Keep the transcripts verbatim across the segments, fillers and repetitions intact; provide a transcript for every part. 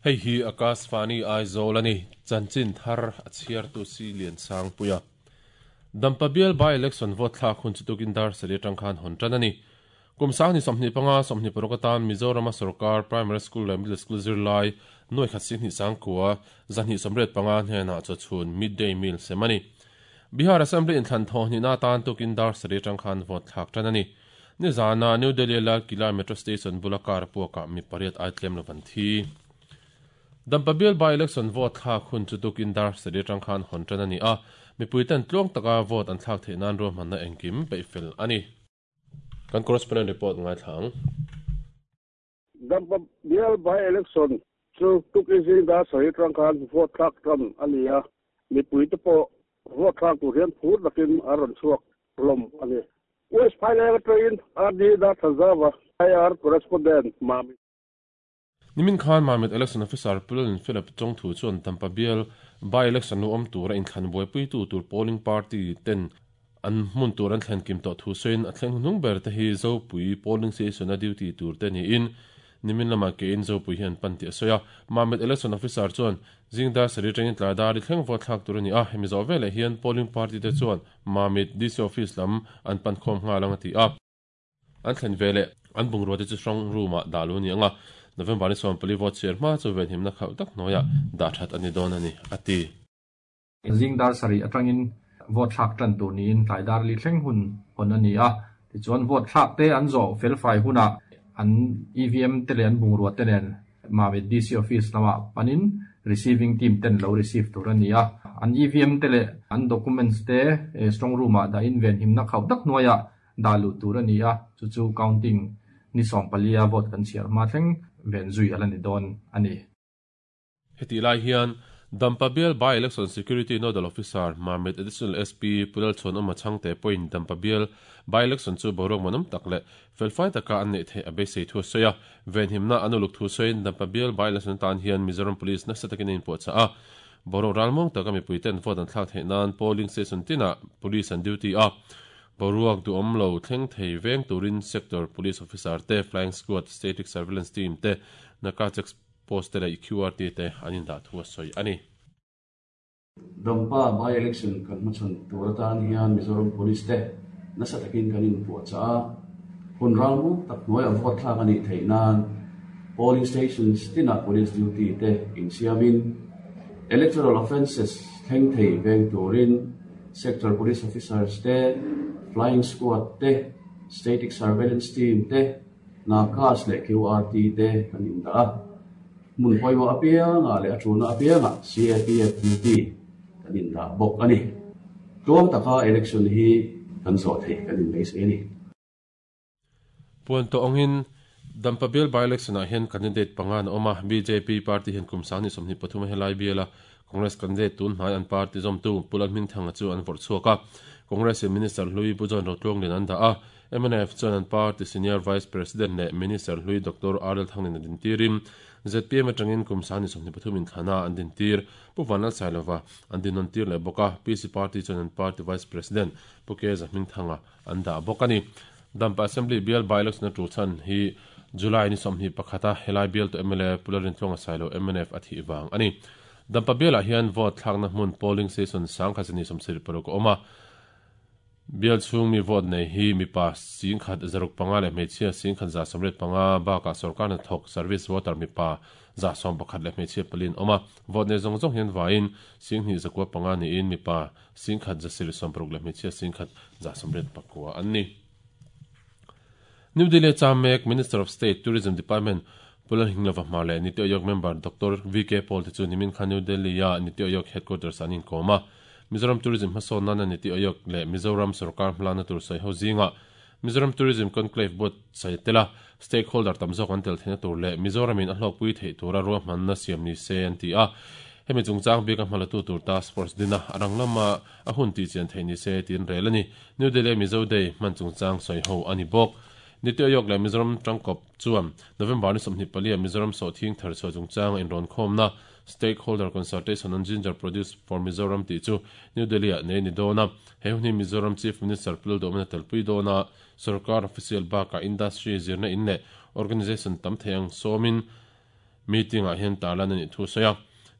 Hei hi Akashvani Aizawl ani chanchin thar a chhiar tu si lian sang puia. Dampa bial by election vote thlak hun chu tukin dar sarih atang khan hawn tan ani. Kum sang ni sawmhnih panga sawmhnih paruk atan Mizoram sarkar primary school leh middle school zirlai nuai khat sing hnih sang kua zahnih sawmriat panga hnenah chawchhun midday meal sem ani. Bihar Assembly inthlan thaw hnih na tan tukin dar sarih atang khan vote thlak tan ani. Ni zana New Delhi Lal Kila Metro Station bula kar puaka mi pariat ai tlem lovan thi. Dampa bial by election vote thlak hun chu tukin dar sarih atang khan hawn tan ani a. Mi puiten tluang taka vote an thlak theih nan ruahmanna na engkim peihfel ani. Kan correspondent report ngai thlang. Dampa bial by election chu tukin zing dar sarih atang khan vote thlak tan ani a. Mi puite pawh vote thlak tur hian phur takin a rawn chhuak hlawm ani. West Phaileng train R D Darthazawa I R correspondent Mami. Nimin Khan Mamit election officer Pulin Philip Chongthu chuan Dampa bial by election nu awm tura inthlan buaipui tu tur polling party ten an hmun tur an thlen kim tawh thu sawiin a thleng hnung ber te hi Zopui polling station a duty tur te niin nimin lama ke in Zopui hian pan tih a sawi a. Mamit election officer chuan zingdar sarih atangin tlai dar i thleng vote thlak tur ani a. Hemi zawh veleh hian polling party te chuan Mamit D C office lam an pan khawm nghal ang a ti a. An thlen veleh an bungrua te chu strong room ah dah lu ani anga. November ni sawm pali vote chhiar hma chu ven himna khauh tak hnuaiah dah that ani dawn ani a ti. Zingdar sarih atangin vote thlak tan tur niin tlai dar li thleng hun hawn ani a. Tichuan vote thlak te an zawh fel fai hunah an E V M te leh an bungrua te nen Mamit D C office lamah panin receiving team ten lo receive tur ani a. An E V M te leh an documents te strong room ah dah in ven himna khauh tak hnuaiah dah luh tur ani a. Chu chu counting ni sawm palia vote kan chhiar hma thleng ven zui ala ni dawn ani. Heti lai hian Dampa bial by election security nodal officer Mamit additional S P Pulal chon awm a changte pawhin Dampa bial by election chu boruak manawm tak leh felfai taka an neih theih a beisei thu a sawi a. Ven himna an uluk thu sawiin Dampa bial by election tan hian Mizoram Police nasa takin a inpuah chah a. Boruak ralmuang taka mipui ten vote an thlak theih nan polling station tinah police an duty a. Boruak duhawm lo thleng thei veng turin sector police officer te flying squad static surveillance team te naka check post te leh Q R T te an indah thu a sawi ani. Dampa by election kan hmachhawn tur atan hian Mizoram Police te nasa takin kan inpuah chah a. Hun ralmuang tak hnuaiah vote thlak anih theih nan polling stations tinah police duty te insiamin electoral offences thleng thei veng turin sector police officers te flying squad te static surveillance team te nakas leh Q R T te kan indah a. Mun pawimawh apianga leh a tuna apianga C A P F duty kan indah bawk ani. Tluang taka election hi kan zawh theih kan inbeisei ani. Puan tawh angin Dampa bial by election ah hian candidate panga an awm a. B J P party hian kum sang ni sawmhnih pathum a helai bial a. Congress candidate tun hnai an party zawmtu Pulal Hmingthanga chu an vawrh chhuak a. Congress in Minister Hlui Pu John Rotluang lian an dah a. M N F chuan an party senior vice president leh Minister Hlui Doctor R L Thangin a din tirin Z P M atangin kum sang ni sawmhnih pathum inthlana an din tir Pu Vanlal Sailova an din nawn tir leh bawk a. P C party chuan an party vice president Pu K Zahmingthanga an dah bawk ani. Dampa Assembly bial by election a tu chan hi July ni sawmhnih pakhata helai bial to M L A Pularin Tluanga Sailo M N F a thih wang ani. Dampa bial ah hian vote thlakna hmun polling station sang khat zani sawmsarih paruk a awm a. Bial chhung mi vote nei hi mipa sing khat zaruk panga leh hmeichhia sing khat za sawmriat panga bakah sarkar hnathawk service voter mipa za sawm pakhat leh hmeichhia palin awm a. Vote nei zawng zawng hian vaiin sing hnih zakua panga niin mipa sing khat za sarih sawm paruk leh hmeichhia sing khat za sawmriat pakua an ni. New Delhi Chamek Minister of State Tourism Department Pulal Hinglova hmar leh Niti Aayog member Doctor V K Paul te chu nimin khan New Delhi a Niti Aayog headquarters an inkawm a. Mizoram Tourism hmasawn nana Niti Aayog leh Mizoram sarkar hmalakna tur sawi ho zinga Mizoram Tourism Conclave board sawi tela stakeholder tam zawk an tel theihna tur leh Mizoramin a hlawkpui theih tura ruahmanna siam ni se an ti a. Hemi chungchang bik a hmalatu tur task force dina arang lama a hun ti chian theih ni se tin rel ani. New Delhi Mizo Day hman chungchang sawi ho ani bawk. Niti Aayog leh Mizoram tangkawp chuan November ni sawmhnih palia Mizoram sawhthing thar chhuah chungchang a inrawn khawmna stakeholder consultation on ginger produce for Mizoram tih chu New Delhi ah nei ni dawn a. He hun hi Mizoram Chief Minister Pulal Duhawmna telpui dawn a. Sarkar official bakah industry zirna in leh organization tam thei ang sawmin Meeting ah hian tarlan ani thu soya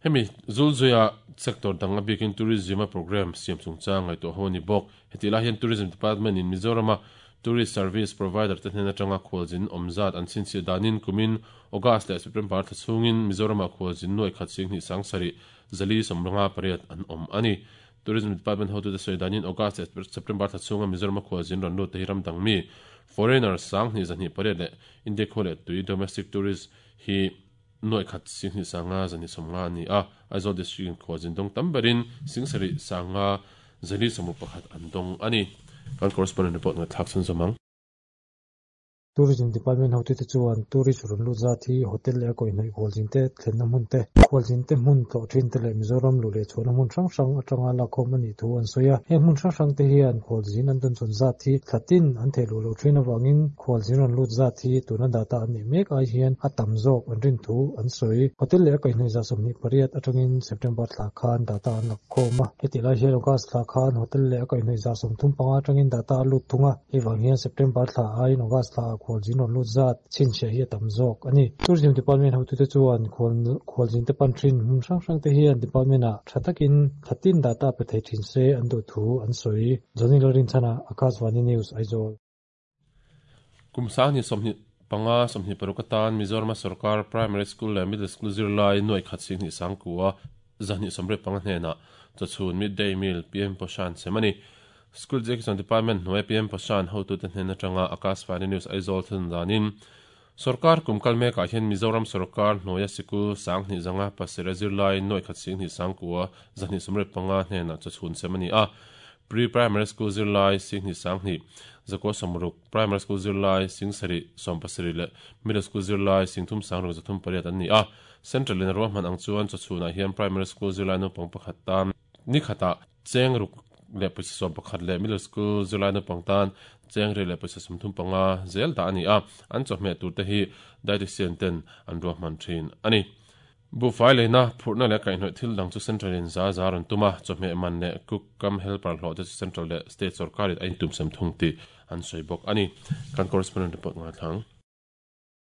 hemi zulzuya sector danga bikin tourism program siam chungchang ngai to honi bok heti la hian tourism department in Mizoram tourist service provider te hnen atanga khawlzin awmzat an chhinchhiah danin kumin August leh September thla chhungin Mizoram ah khawlzin nuai khat sing hnih sang sarih zali sawmranga pariat an awm ani. Tourism department hotu te sawi danin August leh September thla chhunga Mizoram ah khawlzin rawn lut te hi ram dang mi foreigner sang hnih zahnih pariat leh India khaw leh tui domestic tourist hi nuai khat sing hnih sanga zahnih sawmnga ani a. Aizawl district in khawlzin dawng tam berin sing sarih sanga zali sawmu pakhat an dawng ani. Kan correspondent report ngai thlak chhun zawmang. Tourism Department hotu te chuan tourist rawn lut zat hi hotel leh a kawihnawih khawlzin te thlenna hmun te khawlzin te hmun tlawh thin te leh Mizoram lu leh chhuahna hmun hrang hrang atanga lakkhawm ani thu an sawi a. Heng hmun hrang hrang te hian khawlzin an dawn chhawn zat hi thlatin an theih luh loh thin avangin khawlzin rawn lut zat hi tuna data an neih mek ai hian a tam zawk an rin thu an sawi. Hotel leh a kawihnawih za sawmhnih pariat atangin September thla khan data an lakkhawm a. Heti lai hian August thla khan hotel leh a kawihnawih za sawmthum panga atangin data a lut thung a. Hei vang hian September thla aiin August thla khawlzin rawn lut zat chhinchhiah hi a tam zawk ani. Tourism Department hotu te chuan khawlzin te pan thin hmun hrang hrang te hian department ah tha takin thlatin data pe thei thin se an duh thu an sawi. Johnny Lorinchana, Akashvani News, Aizawl. Kum sang ni sawmhnih panga sawmhnih paruk atan Mizoram sarkar primary school leh middle school zirlai nuai khat sing hnih sang kua zahnih sawmriat panga hnenah chawchhun midday meal P M Poshan semani. School Education Department hnuai P M Poshan hotu te hnen atanga Akashvani News Aizawl thun danin sarkar kumkal mekah hian Mizoram sarkar hnuaia sikul sang hnih zanga pasarih zirlai nuai khat sing hnih sang kua zahnih sawmriat panga hnenah chawchhun semani a. Pre-primary school zirlai sing hnih sang hnih zakua sawmruk, primary school zirlai sing sarih sawm pasarih leh middle school zirlai sing thum sang ruk zathum pariat an ni a. Central in ruahman ang chuan chawchhunah hian primary school zirlai naupang pakhat tan ni khatah cheng ruk leh pawisa sawm pakhat leh middle school zirlai naupang tan cheng ri leh pawisa sawmthum panga zel dah ani a. An chawhmeh tur te hi dietitian ten an ruahman thin ani. Buhfai leina phurhna leh kaihhnawih thil dang chu central in za za rawn tum a. Chawhmeh man leh cook kam helper hlawh te chu central leh state sarkarin a intum sem thung tih an sawi bawk ani. Kan correspondent report ngai thlang.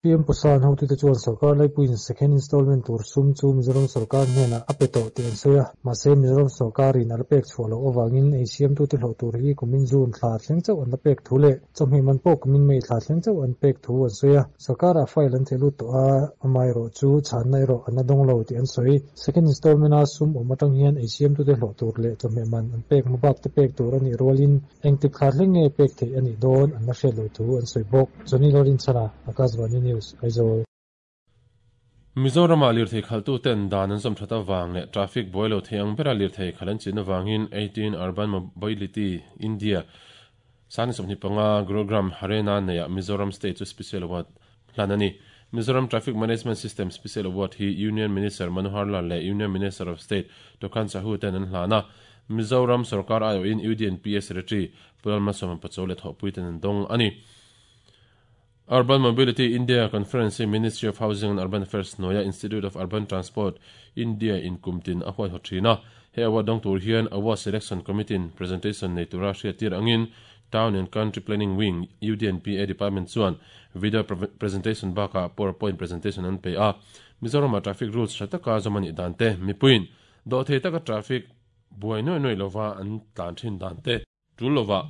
P M Poshan hotu te chuan sarkar laipuiin second installment tur sum chu Mizoram sarkar hnenah a pe tawh tih an sawi a. Mahse Mizoram sarkarin a la pek chhuah loh avangin ei siam tu te hlawh tur hi kumin June thla thleng chauh an la pek thu leh chawhmeh man pawh kumin May thla thleng chauh an pek thu an sawi a. Sarkarah file an theh lut tawh a, amah erawh chu chhanna erawh an la dawng lo tih an sawi. Second installment a sum awm atang hian ei siam tu te hlawh tur leh chawhmeh man an pek hmabak te pek tur anih rualin engtik thla thleng nge pek theih anih dawn an la hriat loh thu an sawi bawk. Johnny Lorinchana, Akashvani News, Aizawl. Mizoram ah lirthei khaltu ten dan an zawm that awang leh traffic buai lo thei ang bera lirthei khal an chin awangin eighteen Urban Mobility India sani sawmhnih panga Gurugram Haryana neia Mizoram State chu Special Award hlan ani. Mizoram Traffic Management System Special Award hi Union Minister Manohar Lal leh Union Minister of State Tokhan Sahu ten an hlan a. Mizoram sarkar aiawhin U D N P A Secretary Pulal Malsawma Pachaw leh thawhpui ten an dawng ani. Urban Mobility India Conference Ministry of Housing and Urban Affairs hnuaia Institute of Urban Transport India in kumtin a huai haw thin a. He award dawng tur hian Award Selection Committee in presentation nei tura hriat tir angin Town and Country Planning Wing U D N P A Department chuan video presentation bakah PowerPoint presentation an pe a. Mizoram ah traffic rules tha taka zawm anih dan te mipuiin dawh thei taka traffic buai nuai nuai lova an tlan thin dan te tul lova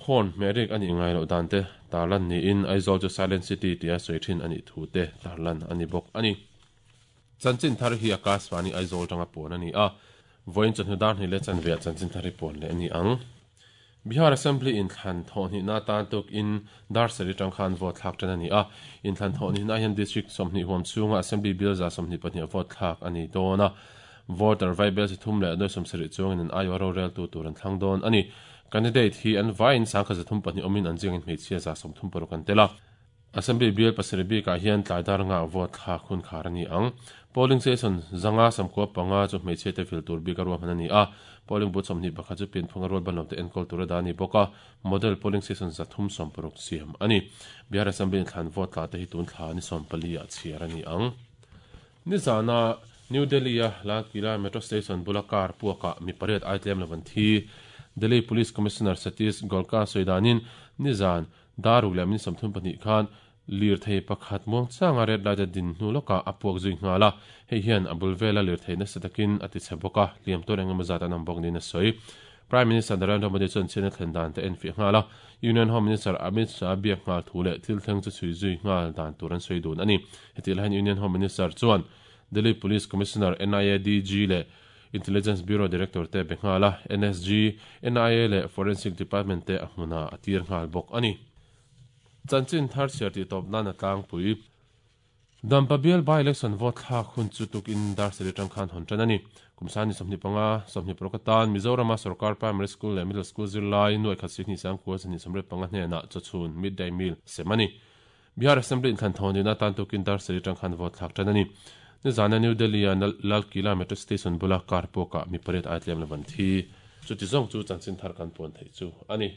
horn hmehrik ani ngai loh dan te tarlan niin Aizawl chu Silent City tia sawi thin ani thu te tarlan ani bawk ani. Chanchin thar hi Akashvani Aizawl tanga pawn ani a. Vawiin chawhnu dar hnih leh chanveah chanchin thar hi pawn leh ani ang. Bihar Assembly in thlan thawhhnih na tan tuk in dar sarih tang khan vote thlak tan ani a. In thlan thawhhnih na hian district sawmhnih huam chhunga Assembly bill za sawmhnih pahnih vote thlak ani dawn a. Voter vaibel si thum leh nuai sawmsarih chuangin an aiawh ro rel tu tur an thlang dawn ani. Candidate hi an vaiin sangkha zathum pahnih awmin an ziangin hmeichhia za sawmthum paruk an tel a. Assembly bill pasarih bikah hian tlai dar nga vote thlak hun khar ani ang. Polling station zanga samkua panga chu hmeichhia te fil tur bik a ruahman ani a. Polling booth sawmhnih pakhat chu pianphung a rual ban lo te enkawl tur a dah ani bawk a. Model polling station zathum sawm paruk siam ani. Bihar Assembly in thlan vote tla te hi tun thla ni sawm pali ah chhiar ani ang. Nizana New Delhi a Lal Qila metro station bula car puakah mi pariat ai tlem lovan thi. Delhi Police Commissioner Satish Golka sawi danin nizan daruk leh min sawmthum pahnih khan Lir thei pakhat muang changa red light a din hnu lawkah a puak zui nghal a, hei hian a bul vela lir thei nasa takin a ti chhe bawk a, hliam tur engemaw zat an awm bawk niin a sawi. Prime Minister Narendra Modi chuan chhiatna thlen dan te enfiah nghal a, Union Home Minister Amit Shah biak nghal thu leh thil thleng chu chhui zui nghal dan tur an sawi dun a ni. Hetih laiin Union Home Minister chuan Delhi Police Commissioner, N I A D G leh Intelligence Bureau Director te be nghal a, N S G, N I A leh Forensic Department te a hmunah a tir nghal bawk a ni. Chanchin thar chhiar tih tawp nan a tlangpui. Dampa bial by-election vote thlak hun chu tukin dar sarih atang khan hawn tan a ni. Kum sani sawmhnih panga, sawmhnih paruk atan Mizorama sarkar primary school leh middle school zirlai nuai khat sihnih sangkua zahnih sawmriat panga hnenah chawchhun midday meal sem a ni. Bihar Assembly inthlan thawn dina tan tukin dar sarih atang khan vote thlak tan a ni. Nizana New Delhi-a Lal Kila metro station bula car pawkah mi pariat ai tlem lo van thi. Chuti zawng chu chanchin thar kan puan theih chu a ni.